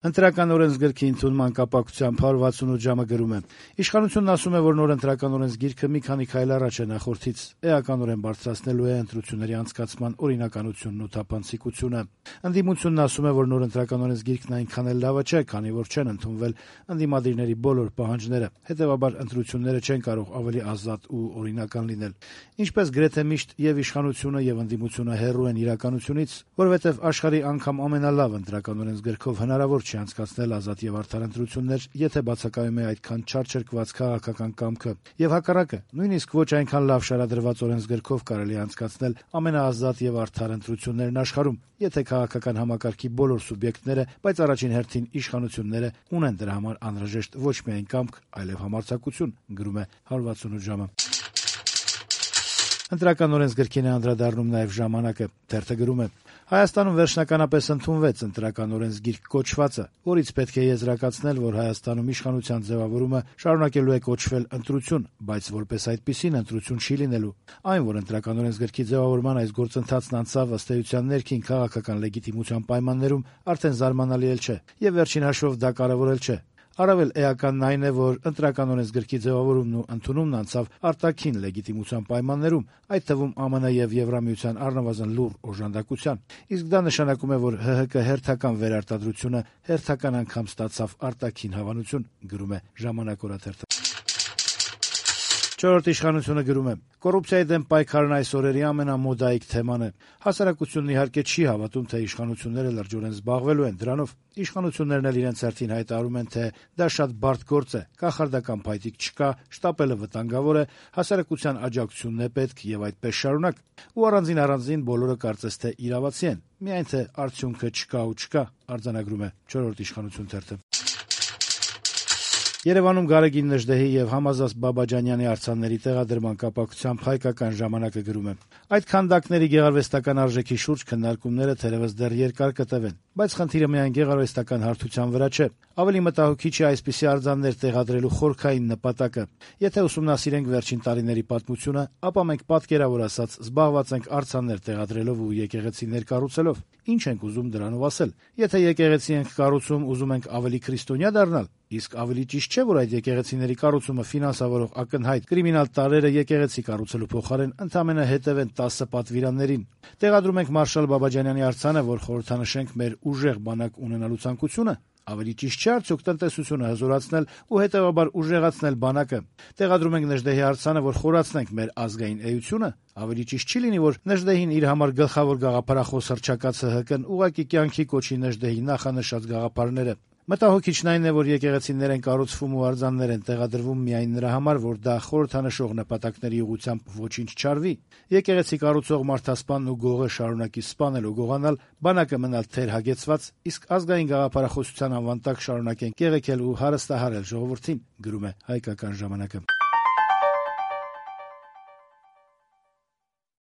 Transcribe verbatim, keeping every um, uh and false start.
Ընտրական օրենսգրքի ընդունման կապակցությամբ հարյուր վաթսունութ ժամը գրում է. Իշխանությունն ասում է, որ նոր ընտրական օրենսգիրքը մի քանի քայլ առաջ է նախորդից, էականորեն բարձրացնելու է ընտրությունների անցկացման օրինականությունն ու թափանցիկությունը։ Ընդդիմությունն ասում է, որ նոր ընտրական օրենսգիրքն այնքան էլ լավը չէ, քանի որ չեն ընդունվել ընդդիմադիրների բոլոր պահանջները, հետեւաբար ընտրությունները չեն կարող ավելի ազատ ու օրինական լինել։ Ինչպես գրեթե միշտ եւ իշխանությունը եւ ընդդիմությունը հեռու են իրականությունից, որովհետեւ աշխարհի անգամ ամենալավ ընտրական օրենսգրքով հնարավոր չի անցկացնել ազատ եւ արդար ընտրություններ, եթե բացակայում է այդքան չարչրկված քաղաքական կամքը, եւ հակառակը, նույնիսկ ոչ այնքան լավ շարադրված օրենսգրքով կարելի է անցկացնել ամենաազատ եւ արդար ընտրություններն աշխարհում, եթե քաղաքական համակարգի բոլոր սուբյեկտները, բայց առաջին հերթին իշխանությունները ունեն դրա համար անհրաժեշտ ոչ միայն կամք, այլև համարձակություն, գրում է հարյուր վաթսունութ ժամը։ Ընտրական օրենսգրքին է անդրադառնում նաև «Ժամանակը»։ Թերթը գրում է. Հայաստանում վերջնականապես ընդունվեց ընտրական օրենսգիրք կոչվածը, որից պետք է եզրակացնել, որ Հայաստանում իշխանության ձևավորումը շարունակելու է կոչվել ընտրություն, բայց որպես այդպիսին ընտրություն չի լինելու։ Այն, որ ընտրական օրենսգրքի ձևավորման այս գործընթացն անցավ ըստ էության ներքին քաղաքական լեգիտիմության պայմաններում, արդեն զարմանալի էլ չէ, եւ վերջին հաշվով դա կարեւոր էլ չէ։ Առավել էականն այն է, որ ընտրական օրենսգրքի ձևավորումն ու ընդունումն անցավ արտաքին լեգիտիմության պայմաններում, այդ թվում ԱՄՆ եւ Եվրամիության առնվազն լուռ օժանդակության։ Իսկ դա նշանակում է, որ ՀՀԿ հերթական վերարտադրությունը հերթական անգամ ստացավ արտաքին հավանություն, գրում է «Ժամանակ» օրաթերթը։ Չորրորդ իշխանությունը գրում է. Կոռուպցիայի դեմ պայքարն այս օրերի ամենամոդայիկ թեման է։ Հասարակությունն իհարկե չի հավատում, թե իշխանությունները լրջորեն զբաղվելու են դրանով։ Իշխանություններն էլ իրենց հերթին հայտարարում են, թե դա շատ բարդ գործ է, կախարդական փայտիկ չկա, շտապելը վտանգավոր է, հասարակության աջակցությունն է պետք եւ այդպես շարունակ։ Ու առանձին առանձին բոլորը կարծես թե իրավացի են, միայն թե արդյունքը չկա ու չկա, արձանագրում է չորրորդ իշխանություն թերթը։ Երևանում Գարեգին Նժդեհի եւ Համազած Բաբաջանյանի արձանների տեղադրման կապակցությամբ «Հայկական ժամանակը» գրում է. Այդ քանդակների գեղարվեստական արժեքի շուրջ քննարկումները թերևս դեռ երկար կտևեն, բայց խնդիրը միայն գեղարվեստական հարթության վրա չէ։ Ավելի մտահոգիչ է այսպիսի արձաններ տեղադրելու խորքային նպատակը։ Եթե ուսումնասիրենք վերջին տարիների պատմությունը, ապա մենք պատկերավոր ասած զբաղված ենք արձաններ տեղադրելով ու եկեղեցիներ կառուցելով։ Ինչ ենք ուզում դրանով ասել։ Եթե եկեղեցի ենք կառուցում, ուզում ենք ավելի քրիստոնյա դառնալ, իսկ ավելի ճիշտ չէ, որ այդ եկեղեցիների կառուցումը ֆինանսավորող ակնհայտ կրիմինալ տարրերը եկեղեցի կառուցելու փոխարեն ընդամենը հետևեն տասը պատվիրաններին։ Տեղադրում ենք Մարշալ Բաբաջանյանի արձանը, որ խորհրդանշենք մեր ուժեղ բանակ ունենալու ցանկությունը։ Ավելի ճիշտ չէ արդյոք տնտեսությունը հզորացնել ու հետեւաբար ուժեղացնել բանակը։ Տեղադրում ենք Նժդեհի արձանը, որ խորացնենք մեր ազգային էությունը։ Ավելի ճիշտ չի լինի, որ Նժդեհին իր համար գլխավոր գաղափարախոս հռչակած ՀՀԿ-ն ուղղակի կյանքի կոչի Նժդեհի նախանշած գաղափարները։ Մտահոգիչն այն է, որ եկեղեցիներ են կառուցվում ու արձաններ են տեղադրվում միայն նրա համար, որ դա խորհրդանշող նպատակների ուղղությամբ ոչինչ չարվի։ Եկեղեցի կառուցող մարդասպանն ու գողը շարունակի սպանել ու գողանալ, բանակը մնալ թեր հագեցված, իսկ ազգային գաղափարախոսության անվան տակ շարունակեն կեղեքել ու հարստահարել ժողովրդին, գրում է «Հայկական ժամանակը»։